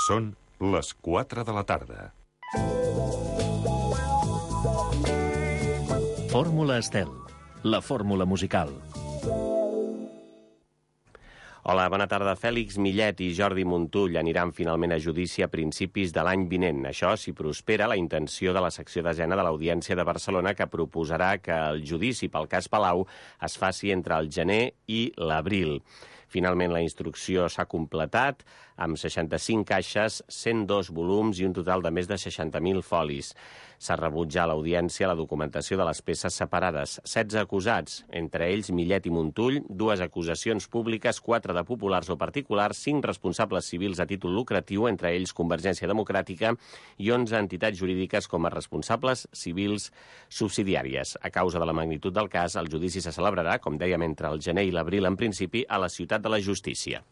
Són les 4 de la tarda. Fórmula Estel, la fórmula musical. Hola, bona tarda. Fèlix Millet i Jordi Montull aniran finalment a judici a principis de l'any vinent. Això, si prospera, la intenció de la secció desena de l'Audiència de Barcelona, que proposarà que el judici pel cas Palau es faci entre el gener i l'abril. Finalment, la instrucció s'ha completat amb 65 caixes, 102 volums i un total de més de 60.000 folis. S'ha rebutjat a l'audiència la documentació de les peces separades. 16 acusats, entre ells Millet i Montull, 2 acusacions públiques, 4 de populars o particulars, 5 responsables civils a títol lucratiu, entre ells Convergència Democràtica, i 11 entitats jurídiques com a responsables civils subsidiàries. A causa de la magnitud del cas, el judici se celebrarà, com dèiem, entre el gener i l'abril en principi, a la Ciutat de la Justícia.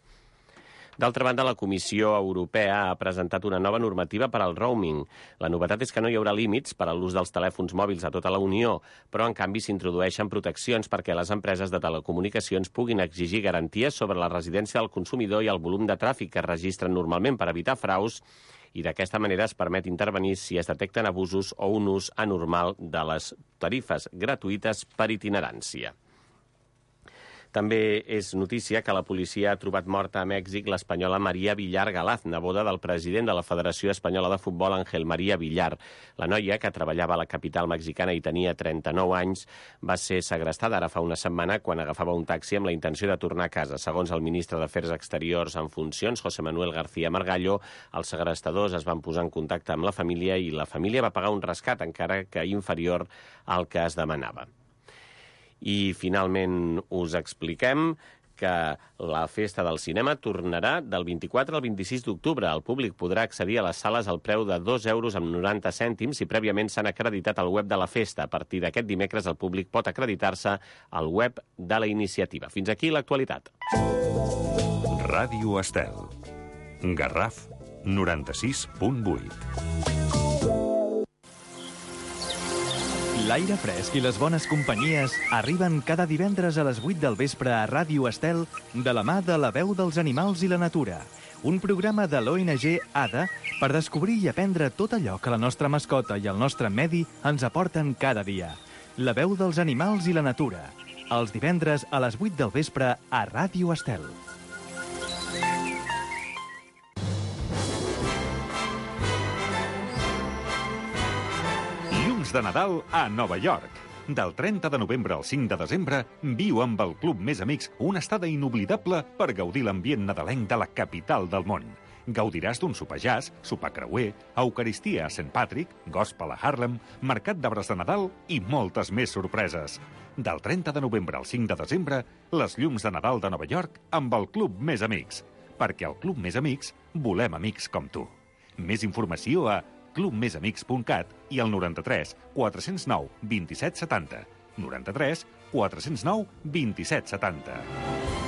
D'altra banda, la Comissió Europea ha presentat una nova normativa per al roaming. La novetat és que no hi haurà límits per a l'ús dels telèfons mòbils a tota la Unió, però en canvi s'introdueixen proteccions perquè les empreses de telecomunicacions puguin exigir garanties sobre la residència del consumidor i el volum de tràfic que es registren normalment per evitar fraus, i d'aquesta manera es permet intervenir si es detecten abusos o un ús anormal de les tarifes gratuïtes per itinerància. També és notícia que la policia ha trobat morta a Mèxic l'espanyola María Villar Galaz, neboda del president de la Federació Espanyola de Futbol, Ángel María Villar. La noia, que treballava a la capital mexicana i tenia 39 anys, va ser segrestada ara fa una setmana quan agafava un taxi amb la intenció de tornar a casa. Segons el ministre d'Afers Exteriors en funcions, José Manuel García Margallo, els segrestadors es van posar en contacte amb la família i la família va pagar un rescat, encara que inferior al que es demanava. I finalment us expliquem que la Festa del Cinema tornarà del 24 al 26 d'octubre. El públic podrà accedir a les sales al preu de 2,90 € si prèviament s'han acreditat al web de la festa. A partir d'aquest dimecres el públic pot acreditar-se al web de la iniciativa. Fins aquí l'actualitat. Ràdio Estel. Garraf 96.8. L'aire fresc i les bones companyies arriben cada divendres a les 8 del vespre a Ràdio Estel de la mà de La Veu dels Animals i la Natura, un programa de l'ONG ADA per descobrir i aprendre tot allò que la nostra mascota i el nostre medi ens aporten cada dia. La Veu dels Animals i la Natura, els divendres a les 8 del vespre a Ràdio Estel. De Nadal a Nova York. Del 30 de novembre al 5 de desembre, viu amb el Club Més Amics una estada inoblidable per gaudir l'ambient nadalenc de la capital del món. Gaudiràs d'un sopar jazz, sopar creuer, eucaristia a St. Patrick, gospel a Harlem, mercat d'arbres de Nadal i moltes més sorpreses. Del 30 de novembre al 5 de desembre, les llums de Nadal de Nova York amb el Club Més Amics. Perquè al Club Més Amics volem amics com tu. Més informació a clubmesamics.cat i al 93 409 27 70. 93 409 27 70.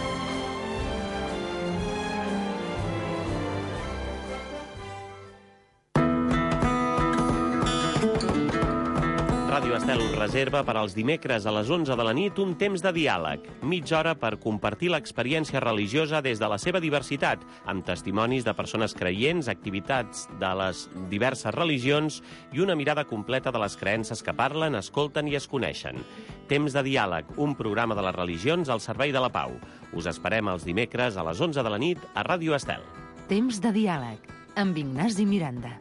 Ràdio Estel reserva per als dimecres a les 11 de la nit un temps de diàleg, mitja hora per compartir l'experiència religiosa des de la seva diversitat, amb testimonis de persones creients, activitats de les diverses religions i una mirada completa de les creences que parlen, escolten i es coneixen. Temps de diàleg, un programa de les religions al servei de la pau. Us esperem els dimecres a les 11 de la nit a Ràdio Estel. Temps de diàleg, amb Ignasi Miranda.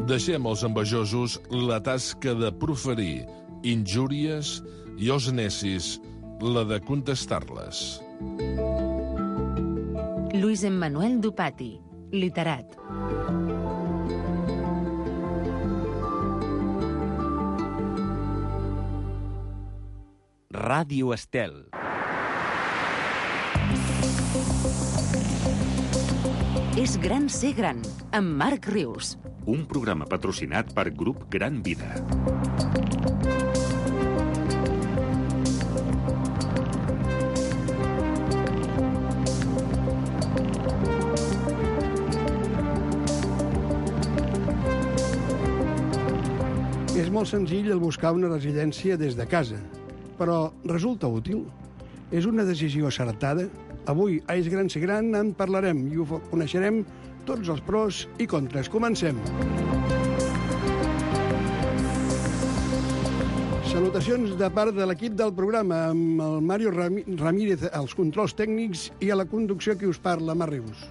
Deixem als envejosos la tasca de proferir injúries i als necis la de contestar-les. Luis Emmanuel Dupati, literat. Ràdio Estel. És gran ser gran, amb Marc Rius. Un programa patrocinat per Grup Gran Vida. És molt senzill el buscar una residència des de casa. però resulta útil? És una decisió acertada? Avui, a És Gran Ser Gran, en parlarem i ho coneixerem tots els pros i contres. Comencem. Salutacions de part de l'equip del programa, amb el Mario Ramírez als controls tècnics i a la conducció qui us parla, Mar Rius.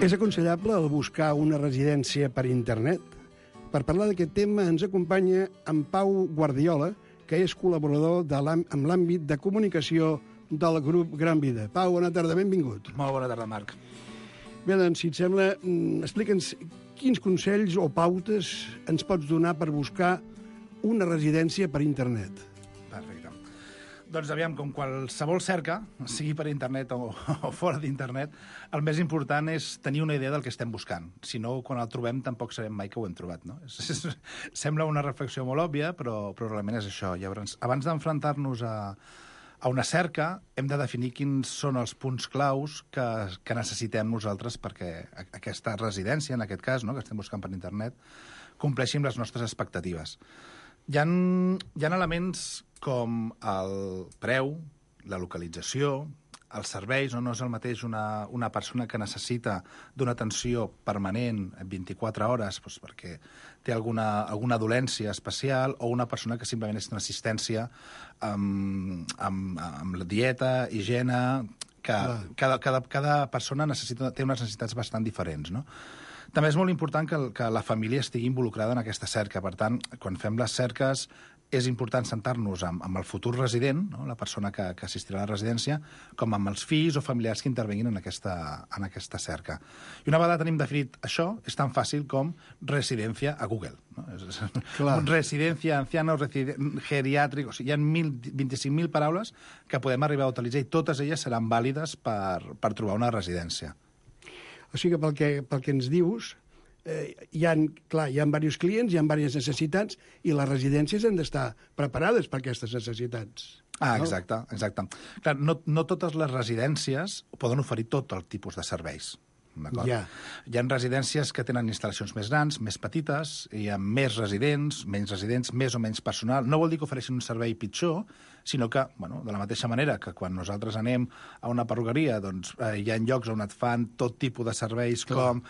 És aconsellable el buscar una residència per internet? Per parlar d'aquest tema ens acompanya en Pau Guardiola, que és col·laborador amb l'àmbit de comunicació del grup Gran Vida. Pau, bona tarda, benvingut. Molt bona tarda, Marc. Bé, doncs, si et sembla, explica'ns quins consells o pautes ens pots donar per buscar una residència per internet. Perfecte. Doncs aviam, com qualsevol cerca, sigui per internet o fora d'internet, el més important és tenir una idea del que estem buscant. Si no, quan el trobem, tampoc sabem mai que ho hem trobat, no? Sembla una reflexió molt òbvia, però realment és això. Llavors, abans d'enfrontar-nos a una cerca, hem de definir quins són els punts claus que necessitem nosaltres perquè aquesta residència, en aquest cas, no, que estem buscant per internet, compleixi amb les nostres expectatives. Hi ha elements com el preu, la localització, els serveis, no és el mateix una persona que necessita d'una atenció permanent 24 hores doncs perquè té alguna dolència especial o una persona que simplement és una assistència amb la dieta, higiene, que cada persona té unes necessitats bastant diferents, no? També és molt important que la família estigui involucrada en aquesta cerca. Per tant, quan fem les cerques, és important sentar-nos amb el futur resident, no? La persona que assistirà a la residència, com amb els fills o familiars que intervenguin en aquesta cerca. I una vegada tenim definit això, és tan fàcil com residència a Google. No? Residència, anciana, geriàtric... O sigui, hi ha 25.000 paraules que podem arribar a utilitzar i totes elles seran vàlides per trobar una residència. O sigui que pel que ens dius, hi ha diversos clients, hi ha diverses necessitats i les residències han d'estar preparades per aquestes necessitats. Ah, exacte. Clar, no totes les residències poden oferir tot el tipus de serveis. Hi ha residències que tenen instal·lacions més grans, més petites, hi ha més residents, menys residents, més o menys personal. No vol dir que ofereixin un servei pitjor, sinó que, de la mateixa manera que quan nosaltres anem a una perruqueria, doncs hi ha llocs on et fan tot tipus de serveis com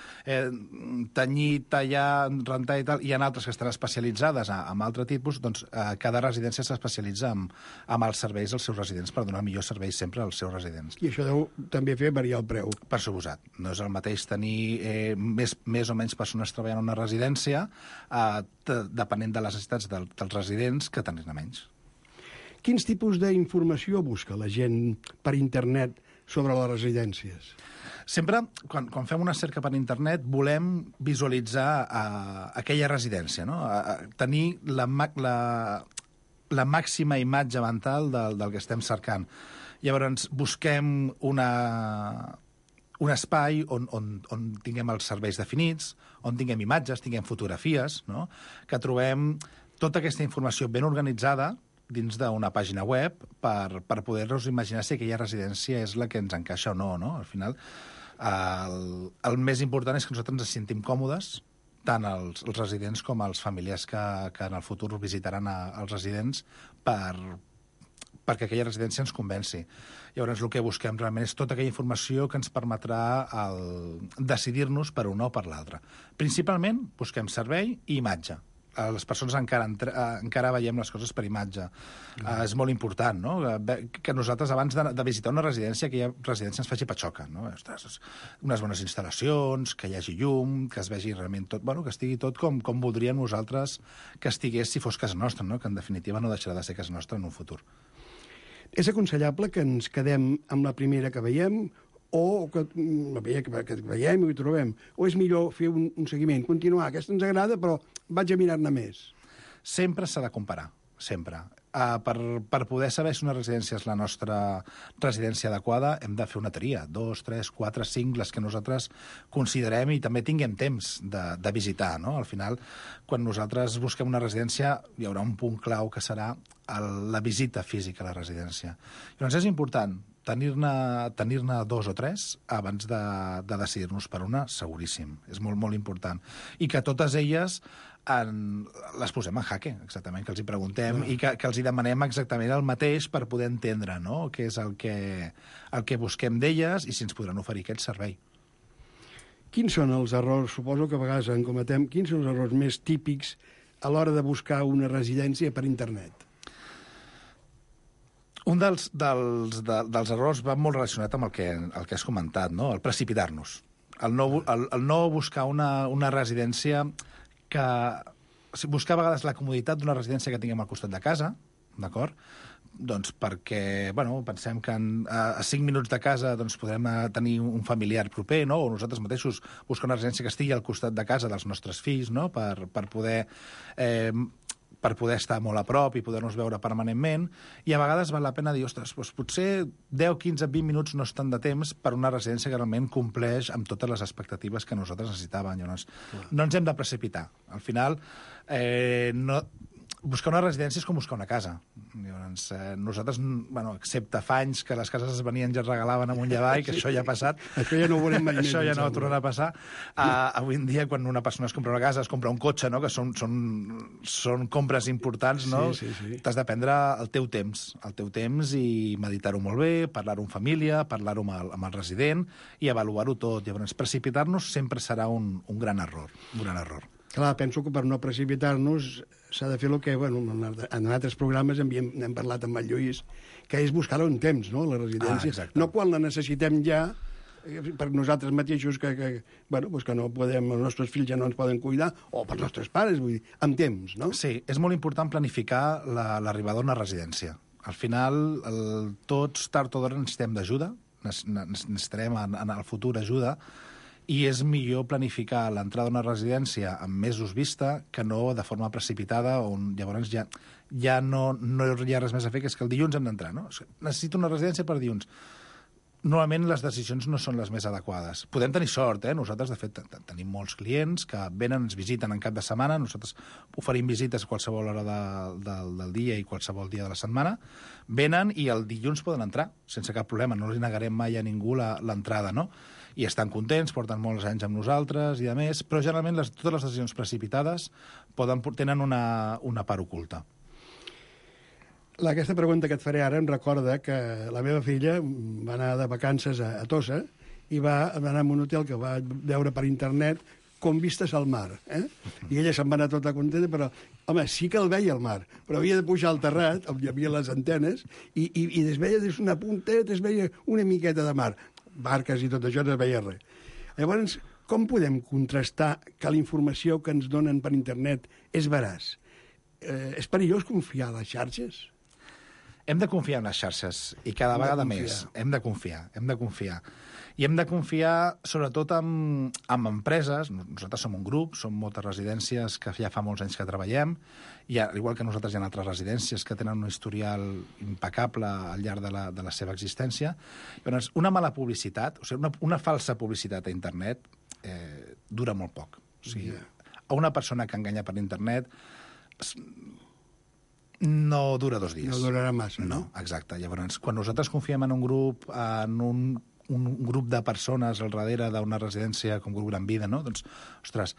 tenyir, tallar, rentar i tal, hi ha altres que estan especialitzades en altre tipus, doncs cada residència s'especialitza amb els serveis dels seus residents per donar millors serveis sempre als seus residents. I això deu també fer variar el preu. Per suposat. No és el mateix tenir més o menys persones treballant en una residència depenent de les necessitats dels residents que tenir-ne menys. Quins tipus d'informació busca la gent per internet sobre les residències? Sempre, quan fem una cerca per internet, volem visualitzar aquella residència, no? Tenir la màxima imatge mental del que estem cercant. Llavors, busquem un espai on tinguem els serveis definits, on tinguem imatges, tinguem fotografies, no? Que trobem tota aquesta informació ben organitzada dins d'una pàgina web per poder-nos imaginar si aquella residència és la que ens encaixa o no, no? Al final, el més important és que nosaltres ens sentim còmodes, tant els residents com els familiars que en el futur visitaran els residents perquè aquella residència ens convenci. Llavors, el que busquem realment és tota aquella informació que ens permetrà decidir-nos per una o per l'altra. Principalment, busquem servei i imatge. Les persones encara veiem les coses per imatge. És molt important, no? Que nosaltres, abans de visitar una residència, aquella residència ens faci patxoca, no? Ostres, unes bones instal·lacions, que hi hagi llum, que es vegi realment tot, que estigui tot com voldríem nosaltres que estigués si fos casa nostra, no? Que en definitiva no deixarà de ser casa nostra en un futur. És aconsellable que ens quedem amb la primera que veiem o que veiem i ho trobem? O és millor fer un seguiment, continuar? Aquesta ens agrada, però vaig a mirar-ne més. Sempre s'ha de comparar, sempre. per poder saber si una residència és la nostra residència adequada, hem de fer una tria, 2, 3, 4, 5, les que nosaltres considerem i també tinguem temps de visitar, no? Al final, quan nosaltres busquem una residència, hi haurà un punt clau que serà la visita física a la residència. Llavors és important tenir-ne 2 o 3 abans de decidir-nos per una, seguríssim. És molt, molt important. I que totes elles les posem en jaque, exactament, que els hi preguntem i que els hi demanem exactament el mateix per poder entendre, no?, què és el que busquem d'elles i si ens podran oferir aquest servei. Quins són els errors, suposo que a vegades en cometem, quins són els errors més típics a l'hora de buscar una residència per internet? Un dels errors va molt relacionat amb el que has comentat, no? El precipitar-nos. El no buscar una residència que... Buscar a vegades la comoditat d'una residència que tinguem al costat de casa, d'acord? Doncs perquè, bueno, pensem que a 5 minuts de casa doncs, podrem tenir un familiar proper, no? O nosaltres mateixos buscar una residència que estigui al costat de casa dels nostres fills, no? Per poder estar molt a prop i poder-nos veure permanentment, i a vegades val la pena dir, ostres, doncs potser 10, 15, 20 minuts no és tant de temps per una residència que realment compleix amb totes les expectatives que nosaltres necessitàvem. Llavors, no ens hem de precipitar. Al final, buscar una residència és com buscar una casa. Llavors, nosaltres, bueno, excepte fa anys que les cases es venien i es regalaven amunt i avall, que això ja ha passat. Això ja no ho veurem mai més. Això ja no tornarà a passar. Avui en dia, quan una persona es compra una casa, es compra un cotxe, no?, que són compres importants, no? Sí. T'has de prendre el teu temps i meditar-ho molt bé, parlar-ho en família, parlar-ho amb el resident i avaluar-ho tot. Llavors, precipitar-nos sempre serà un gran error. Clar, penso que per no precipitar-nos s'ha de fer el que, bueno, en altres programes n'hem parlat amb el Lluís, que és buscar-ho en temps, no?, la residència. No quan la necessitem ja, per nosaltres mateixos, que no podem, els nostres fills ja no ens poden cuidar, o per els nostres pares, vull dir, amb temps, no? Sí, és molt important planificar l'arribada a una residència. Al final, tots, tard o d'hora, necessitem d'ajuda, necessitarem en el futur ajuda, i és millor planificar l'entrada a una residència amb mesos vista que no de forma precipitada, on llavors ja no hi ha res més a fer, que és que el dilluns hem d'entrar, no? Necessito una residència per dilluns. Normalment les decisions no són les més adequades. Podem tenir sort, Nosaltres, de fet, tenim molts clients que venen, ens visiten en cap de setmana, nosaltres oferim visites a qualsevol hora del dia i qualsevol dia de la setmana, venen i el dilluns poden entrar, sense cap problema, no li negarem mai a ningú l'entrada, no? I estan contents, porten molts anys amb nosaltres i a més, però generalment totes les decisions precipitades tenen una part oculta. Aquesta pregunta que et faré ara em recorda que la meva filla va anar de vacances a Tossa i va anar a un hotel que va veure per internet com vistes al mar. I ella se'n va anar tota contenta, però, home, sí que el veia al mar, però havia de pujar al terrat, on hi havia les antenes, i es veia des d'una punteta, es veia una miqueta de mar. Barques i tot això no es veia res. Llavors, com podem contrastar que la informació que ens donen per internet és veraç? És perillós confiar a les xarxes? Hem de confiar en les xarxes, i cada vegada més. Hem de confiar. I hem de confiar, sobretot, en empreses. Nosaltres som un grup, som moltes residències que ja fa molts anys que treballem, i igual que nosaltres hi ha altres residències que tenen un historial impecable al llarg de la seva existència. Llavors, una mala publicitat, o sigui, una falsa publicitat a internet dura molt poc. O sigui, a una persona que enganya per internet no dura 2 dies. No durarà massa, no? Exacte. Llavors, quan nosaltres confiem en un grup, en un grup de persones al darrere d'una residència com Grup Gran Vida, no? Doncs, ostres,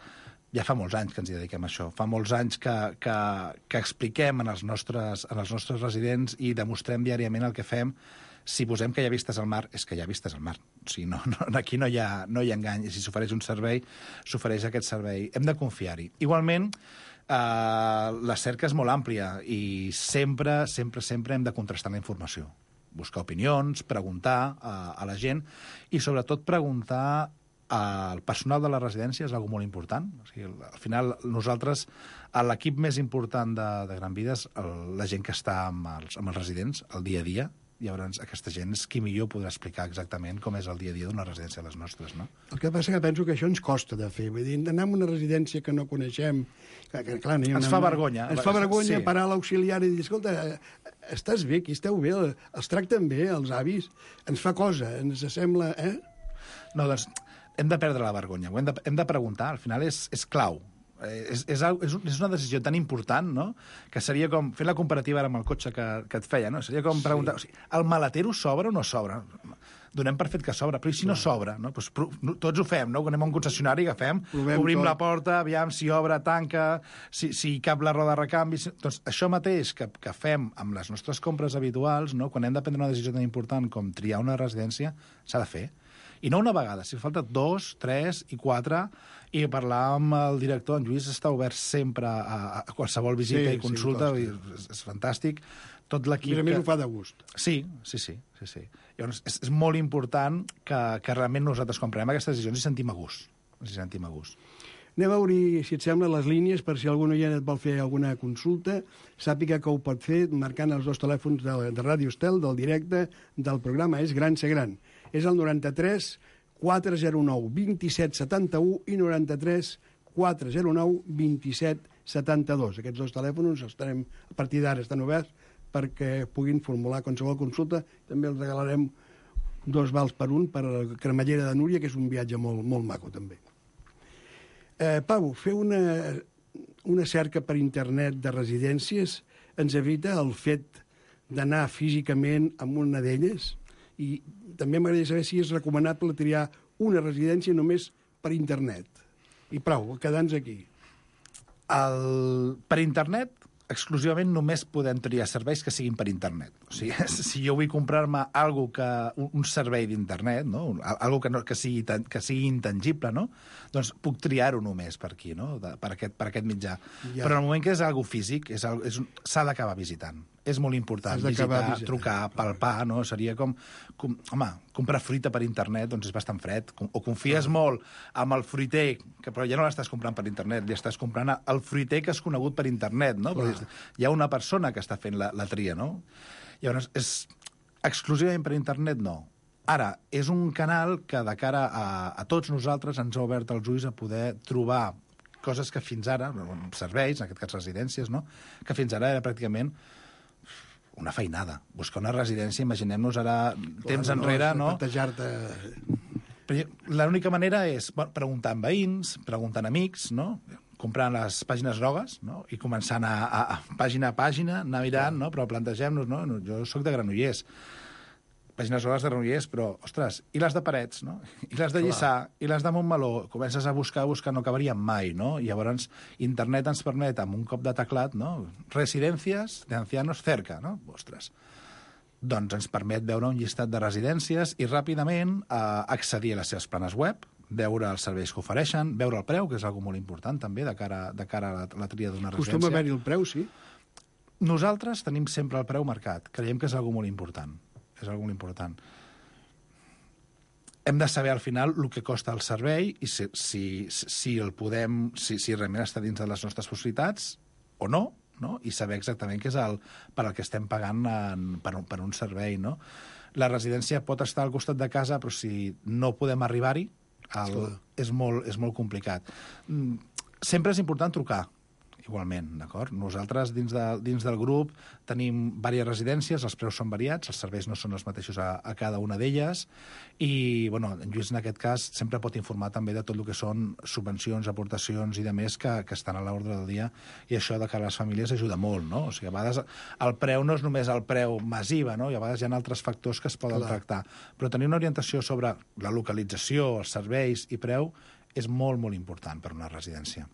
ja fa molts anys que ens hi dediquem a això. Fa molts anys que expliquem als nostres residents i demostrem diàriament el que fem. Si posem que hi ha vistes al mar, és que hi ha vistes al mar. O sigui, aquí no hi ha engany. I si s'ofereix un servei, s'ofereix aquest servei. Hem de confiar-hi. Igualment, la cerca és molt àmplia i sempre hem de contrastar la informació. Buscar opinions, preguntar a la gent i, sobretot, preguntar al personal de la residència és una cosa molt important. O sigui, al final, nosaltres, l'equip més important de Gran Vida és la gent que està amb els residents el dia a dia Llavors, aquesta gent és qui millor podrà explicar exactament com és el dia a dia d'una residència de les nostres, no? El que passa que penso que això ens costa de fer. Vull dir, anar a una residència que no coneixem... Que, clar, ens fa vergonya. Ens fa vergonya parar a l'auxiliar i dir, escolta, estàs bé, aquí esteu bé, els tracten bé, els avis, ens fa cosa, ens sembla... No, doncs hem de perdre la vergonya, hem de preguntar, al final és clau. És una decisió tan important, no?, que seria com fer la comparativa ara amb el cotxe que et feia, no? Seria com preguntar, o sigui, el maletero sobra o no sobra? Donem per fet que sobra, però i si no sobra? No? Pues, tots ho fem, no? Quan anem a un concessionari, agafem, obrim la porta, aviam si obre, tanca, si cap la roda de recanvi... Doncs això mateix que fem amb les nostres compres habituals, no?, quan hem de prendre una decisió tan important com triar una residència, s'ha de fer. I no una vegada, si falta 2, 3 i 4, i parlar amb el director, en Lluís està obert sempre a qualsevol visita i consulta, és fantàstic. Tot l'equip... A més ho fa de gust. Sí. Llavors, és molt important que realment nosaltres, quan prenem aquestes decisions, ens sentim a gust. Anem a obrir, si et sembla, les línies per si algun oient et vol fer alguna consulta. Sàpiga que ho pot fer marcant els 2 telèfons de Ràdio Estel, del directe del programa És Gran Ser Gran. És el 93 409 27 71 i 93 409 27 72. Aquests 2 telèfons estarem, a partir d'ara estan oberts perquè puguin formular qualsevol consulta. També els regalarem 2 vals per un per a la Cremallera de Núria, que és un viatge molt, molt maco, també. Pau, fer una cerca per internet de residències ens evita el fet d'anar físicament a una d'elles, i també m'agradaria saber si és recomanable triar una residència només per internet. I prou, quedar-nos aquí. Per internet, exclusivament només podem triar serveis que siguin per internet. O sigui, si jo vull comprar-me un servei d'internet, no?, algo que sigui intangible, no?, doncs puc triar-ho només per aquí, no?, per aquest mitjà. Ja. Però en el moment que és algo físic, s'ha d'acabar visitant. És molt important visitar, trucar, palpar, no? Seria com home, comprar fruita per internet, doncs és bastant fred. O confies molt amb el fruiter, però ja no l'estàs comprant per internet, li estàs comprant el fruiter que és conegut per internet, no? Perquè hi ha una persona que està fent la tria, no? Llavors, és exclusivament per internet, no. Ara, és un canal que de cara a tots nosaltres ens ha obert els ulls a poder trobar coses que fins ara, serveis, en aquest cas residències, no?, que fins ara era pràcticament una feinada. Buscar una residència, imaginem-nos ara, temps enrere, no? L'única manera és preguntar amb veïns, preguntant amics, no?, comprant les pàgines grogues, no?, i començant a pàgina a pàgina, anar mirant, no?, però plantegem-nos, no?, jo soc de Granollers, pàgines grogues de Granollers, però, ostres, i les de Parets, no?, i les de Lliçà, i les de Montmeló, comences a buscar, no acabaríem mai, no? I llavors internet ens permet, amb un cop de teclat, no?, residències de ancianos cerca, no? Ostres. Doncs ens permet veure un llistat de residències i ràpidament accedir a les seves planes web, veure els serveis que ofereixen, veure el preu, que és algo molt important també de cara a la tria d'una residència. Costuma haver-hi el preu, sí? Nosaltres tenim sempre el preu marcat. Creiem que és algo molt important. És algo molt important. Hem de saber al final el que costa el servei i si el podem, si realment està dins de les nostres possibilitats o no, i saber exactament què és per al que estem pagant per un servei, no? La residència pot estar al costat de casa, però si no podem arribar-hi, és molt complicat. Sempre és important trucar, igualment, d'acord? Nosaltres, dins del grup, tenim diverses residències, els preus són variats, els serveis no són els mateixos a cada una d'elles, i, bueno, en Lluís, en aquest cas, sempre pot informar també de tot el que són subvencions, aportacions i de més que estan a l'ordre del dia, i això de cara a les famílies ajuda molt, no? O sigui, a vegades el preu no és només el preu massiva, no? I a vegades hi ha altres factors que es poden tractar. Però tenir una orientació sobre la localització, els serveis i preu és molt, molt important per una residència.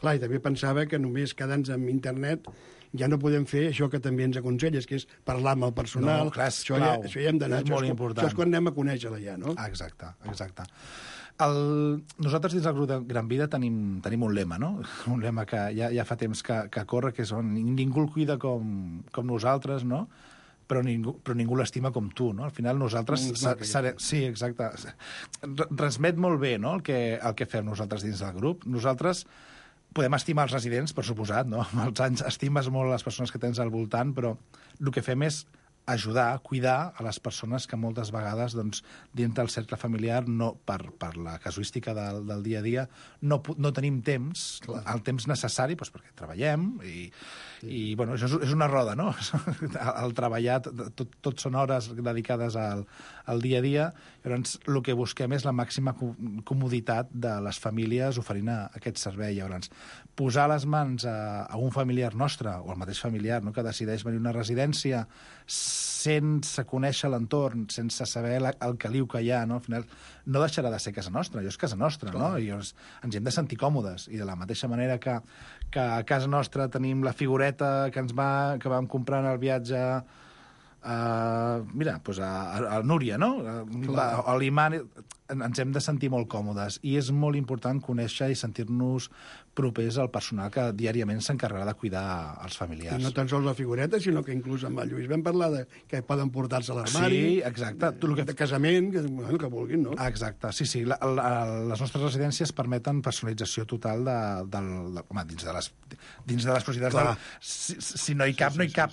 Clar, i també pensava que només quedant-nos amb internet ja no podem fer això que també ens aconselles, que és parlar amb el personal. No, clar, és clau. Això ja hem d'anar. És molt important. Això és quan anem a conèixer-la ja, no? Exacte. Nosaltres dins del grup de Gran Vida tenim un lema, no? Un lema que ja fa temps que corre, que és on ningú el cuida com nosaltres, no? Però ningú l'estima com tu, no? Al final nosaltres... Sí, exacte. Transmet molt bé, no?, el que fem nosaltres dins del grup. Nosaltres podem estimar els residents, per suposat, no? Amb els anys estimes molt les persones que tens al voltant, però el que fem és ajudar, cuidar a les persones que moltes vegades, doncs, dins del cercle familiar, no, per la casuística del dia a dia, no tenim temps, el temps necessari, doncs, perquè treballem, i bueno, això és una roda, no? El treballar, tot són hores dedicades al dia a dia, llavors el que busquem és la màxima comoditat de les famílies oferint aquest servei. Llavors, posar les mans a un familiar nostre, o al mateix familiar, no?, que decideix venir a una residència sense conèixer l'entorn, sense saber el caliu que hi ha, no? Al final no deixarà de ser casa nostra, allò és casa nostra, no? I ens hi hem de sentir còmodes. I de la mateixa manera que a casa nostra tenim la figureta que vam comprar en el viatge a Núria, no? A l'imant, ens hem de sentir molt còmodes i és molt important conèixer i sentir-nos propers al personal que diàriament s'encarregarà de cuidar els familiars. I no tan sols la figureta, sinó que inclús amb el Lluís vam parlar que poden portar-se a l'armari, sí, exacte. De casament, que vulguin, no? Exacte, sí. Les nostres residències permeten personalització total dins de les possibilitats. Si no hi cap, no hi cap.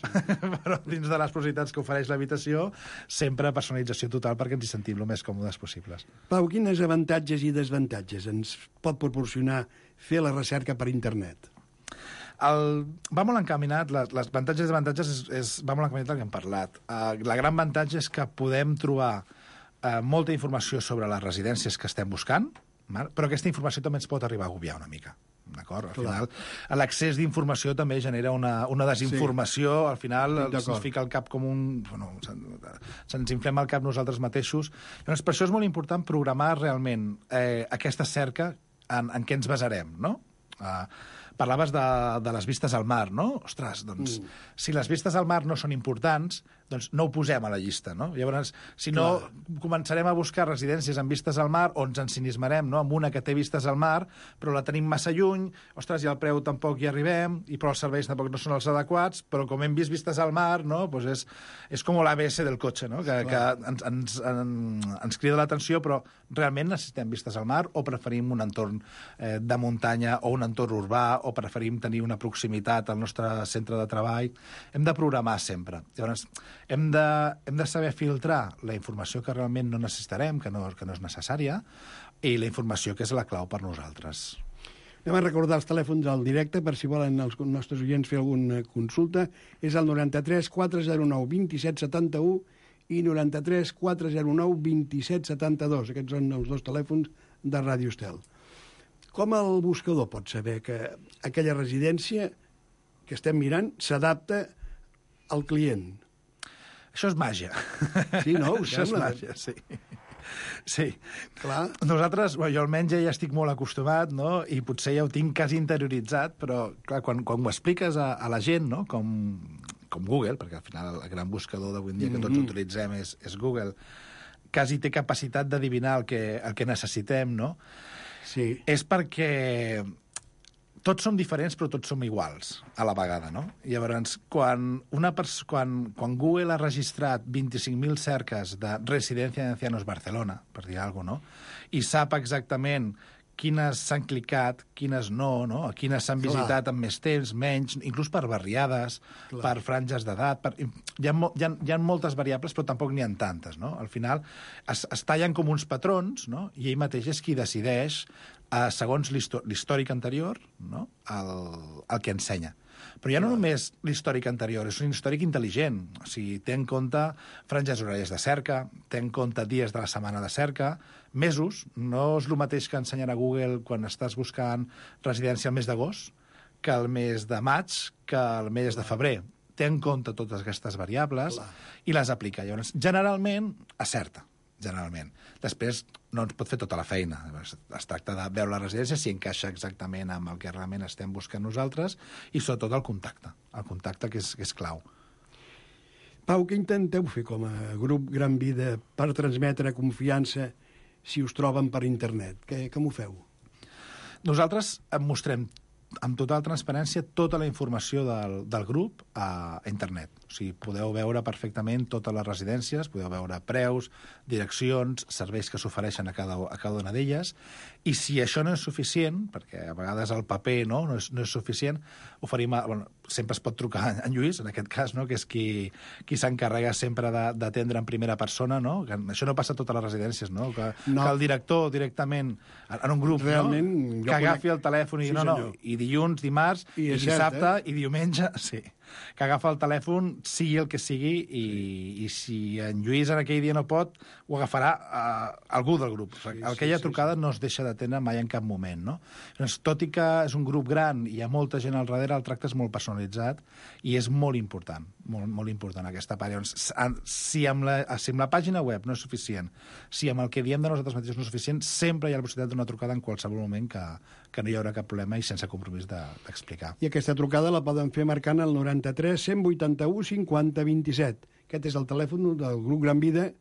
Però dins de les possibilitats que ofereix l'habitació, sempre personalització total perquè ens hi sentim el més còmodes possibles. Pau, quines avantatges i desavantatges ens pot proporcionar fer la recerca per internet? Va molt encaminat, les avantatges i desavantatges va molt encaminat el que hem parlat. La gran avantatge és que podem trobar molta informació sobre les residències que estem buscant, però aquesta informació també ens pot arribar a agobiar una mica. D'acord? Al final, l'accés d'informació també genera una desinformació. Sí. Al final se'ns fica el cap com un... Bueno, se'ns inflem el cap nosaltres mateixos. Llavors, per això és molt important programar realment aquesta cerca en què ens basarem, no? Parlaves de les vistes al mar, no? Ostres, doncs, si les vistes al mar no són importants, doncs no ho posem a la llista, no? Llavors, si no, començarem a buscar residències amb vistes al mar o ens ensinismarem, no?, amb una que té vistes al mar, però la tenim massa lluny, ostres, i al preu tampoc hi arribem, però els serveis tampoc no són els adequats, però com hem vist vistes al mar, no?, doncs és com l'ABS del cotxe, no?, que ens crida l'atenció, però realment necessitem vistes al mar o preferim un entorn de muntanya o un entorn urbà o preferim tenir una proximitat al nostre centre de treball. Hem de programar sempre. Llavors, hem de saber filtrar la informació que realment no necessitarem, que no és necessària, i la informació que és la clau per nosaltres. Anem a recordar els telèfons al directe per si volen els nostres oients fer alguna consulta. És el 93 409 27 71 i 93 409 27 72. Aquests són els dos telèfons de Ràdio Estel. Com el buscador pot saber que aquella residència que estem mirant s'adapta al client? Això és màgia. Sí, no? Això és màgia, sí. Sí. Clar. Nosaltres, jo almenys ja estic molt acostumat, no?, i potser ja ho tinc quasi interioritzat, però clar, quan ho expliques a la gent, no?, com Google, perquè al final el gran buscador d'avui en dia que tots utilitzem és Google, quasi té capacitat d'adivinar el que necessitem, no? Sí. És perquè tots som diferents, però tots som iguals a la vegada, no? Llavors, quan Google ha registrat 25.000 cerques de residència d'ancianos Barcelona, per dir alguna cosa, no?, i sap exactament quines s'han clicat, quines no, no? Quines s'han visitat amb més temps, menys, inclús per barriades, per franges d'edat. Hi ha moltes variables, però tampoc n'hi ha tantes, no? Al final es tallen com uns patrons, no?, i ell mateix és qui decideix, segons l'històric anterior, no?, el que ensenya. Però ja no només l'històric anterior, és un històric intel·ligent. O sigui, té en compte franges horàries de cerca, té en compte dies de la setmana de cerca, mesos. No és el mateix que ensenyarà Google quan estàs buscant residència al mes d'agost que el mes de maig, que el mes de febrer. Té en compte totes aquestes variables i les aplica. Llavors, generalment, acerta. Generalment. Després no ens pot fer tota la feina. Es tracta de veure la residència si encaixa exactament amb el que realment estem buscant nosaltres i sobretot el contacte que és clau. Pau, què intenteu fer com a grup Gran Vida per transmetre confiança si us troben per internet? Com ho feu? Nosaltres mostrem amb total transparència tota la informació del grup a internet. O sigui, podeu veure perfectament totes les residències, podeu veure preus, direccions, serveis que s'ofereixen a cada una d'elles, i si això no és suficient, perquè a vegades el paper no és suficient, sempre es pot trucar en Lluís, en aquest cas, no? Que és qui s'encarrega sempre d'atendre en primera persona, no? Que això no passa a totes les residències, no? Que el director directament, en un grup, realment, no? Que agafi el telèfon i i dilluns, dimarts, i dissabte, i diumenge, sí. Que agafa el telèfon, sigui el que sigui, i si en Lluís en aquell dia no pot, ho agafarà algú del grup. Aquella trucada no es deixa d'atendre mai en cap moment, no? Doncs, tot i que és un grup gran i hi ha molta gent al darrere, el tracte és molt personalitzat i és molt important, molt important aquesta part. Llavors, si amb la pàgina web no és suficient, si amb el que diem de nosaltres mateixos no és suficient, sempre hi ha la possibilitat d'una trucada en qualsevol moment que no hi haurà cap problema i sense compromís d'explicar. I aquesta trucada la poden fer marcant el 93 181 50 27. Aquest és el telèfon del grup Gran Vida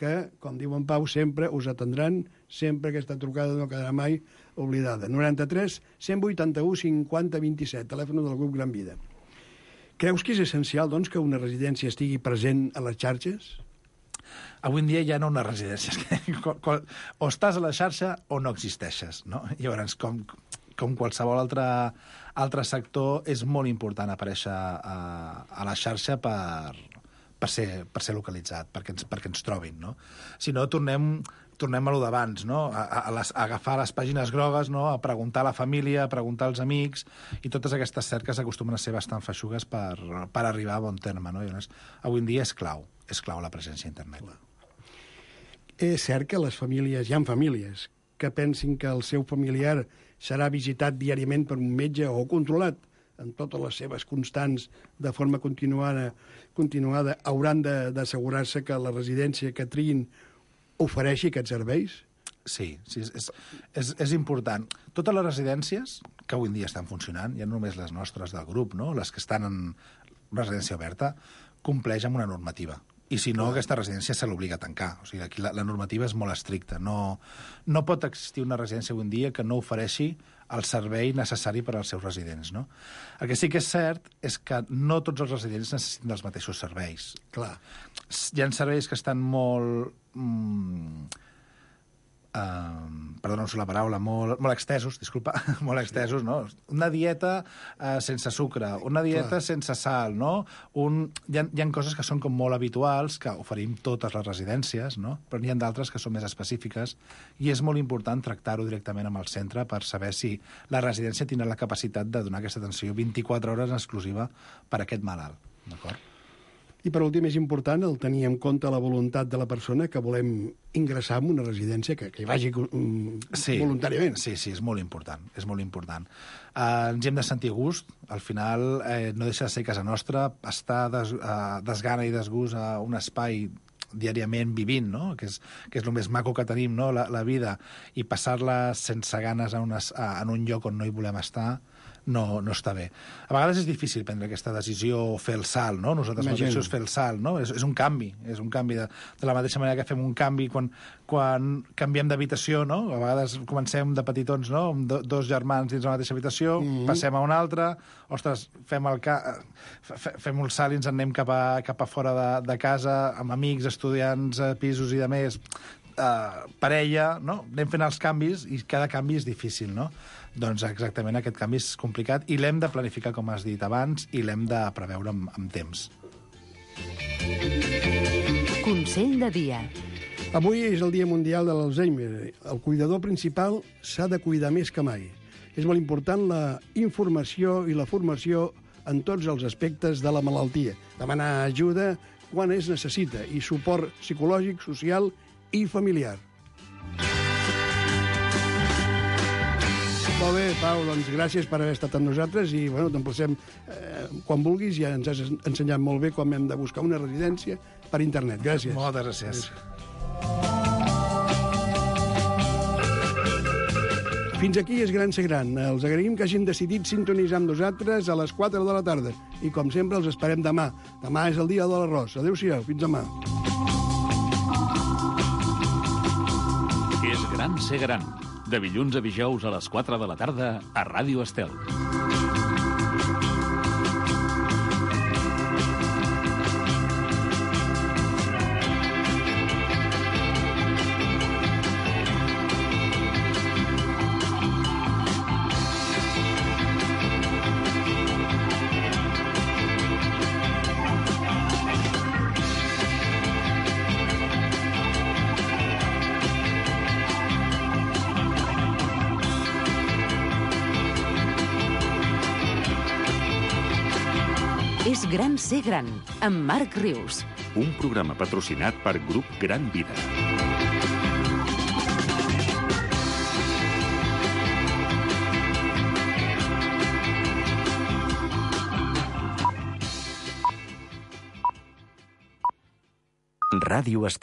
que, com diu en Pau, sempre us atendran, sempre aquesta trucada no quedarà mai oblidada. 93 181 50 27, telèfon del grup Gran Vida. Creus que és essencial, doncs, que una residència estigui present a les xarxes? Avui en dia ja no unes residències. O estàs a la xarxa o no existeixes, no? Llavors, com qualsevol altre sector, és molt important aparèixer a la xarxa per ser localitzat, perquè ens trobin, no? Si no, tornem a lo d'abans, no? A agafar les pàgines grogues, no? A preguntar a la família, a preguntar als amics, i totes aquestes cerques acostumen a ser bastant feixugues per arribar a bon terme, no? Llavors, avui en dia és clau la presència a internet. És cert que les famílies, hi ha famílies que pensin que el seu familiar serà visitat diàriament per un metge o controlat en totes les seves constants de forma continuada, hauran d'assegurar-se que la residència que triïn ofereixi aquests serveis? Sí, és important. Totes les residències que avui en dia estan funcionant, ja no només les nostres del grup, no? Les que estan en residència oberta, compleix amb una normativa. I si no, aquesta residència se l'obliga a tancar. O sigui, aquí la normativa és molt estricta. No pot existir una residència avui en dia que no ofereixi el servei necessari per als seus residents, no? El que sí que és cert és que no tots els residents necessiten els mateixos serveis. Clar. Hi ha serveis que estan molt... perdona la paraula, molt extesos, disculpa, molt extesos, no? Una dieta sense sucre, una dieta sense sal, no? Hi ha coses que són com molt habituals, que oferim totes les residències, no? Però n'hi ha d'altres que són més específiques i és molt important tractar-ho directament amb el centre per saber si la residència tindrà la capacitat de donar aquesta atenció 24 hores en exclusiva per a aquest malalt, d'acord? I per últim, és important el tenir en compte la voluntat de la persona que volem ingressar en una residència, que hi vagi voluntàriament. Sí, és molt important, és molt important. Ens hi hem de sentir a gust, al final no deixa de ser casa nostra, estar desgana i desgust a un espai diàriament vivint, no? Que és el més maco que tenim, no? La vida, i passar-la sense ganes en un lloc on no hi volem estar, no està bé. A vegades és difícil prendre aquesta decisió o fer el salt, no? Nosaltres mateixos fer el salt, no? És un canvi, de la mateixa manera que fem un canvi quan canviem d'habitació, no? A vegades comencem de petitons, no? Amb dos germans dins la mateixa habitació, passem a una altra, ostres, fem el salt i ens en anem cap a fora de casa, amb amics, estudiants, pisos i de més, parella, no? Anem fent els canvis i cada canvi és difícil, no? Doncs exactament aquest canvi és complicat i l'hem de planificar, com has dit abans, i l'hem de preveure amb temps. Consell de dia. Avui és el Dia Mundial de l'Alzheimer. El cuidador principal s'ha de cuidar més que mai. És molt important la informació i la formació en tots els aspectes de la malaltia. Demanar ajuda quan es necessita i suport psicològic, social i familiar. Molt bé, Pau, doncs gràcies per haver estat amb nosaltres i t'emplacem quan vulguis. Ja ens has ensenyat molt bé com hem de buscar una residència per internet. Gràcies. Moltes gràcies. Fins aquí és Gran Ser Gran. Els agraïm que hagin decidit sintonitzar amb nosaltres a les 4 de la tarda. I com sempre els esperem demà. Demà és el dia de l'arròs. Adéu-siau, fins demà. És Gran Ser Gran. De dilluns a dijous a les 4 de la tarda a Ràdio Estel. Gran ser gran, amb Marc Rius. Un programa patrocinat per Grup Gran Vida. Ràdio Estel.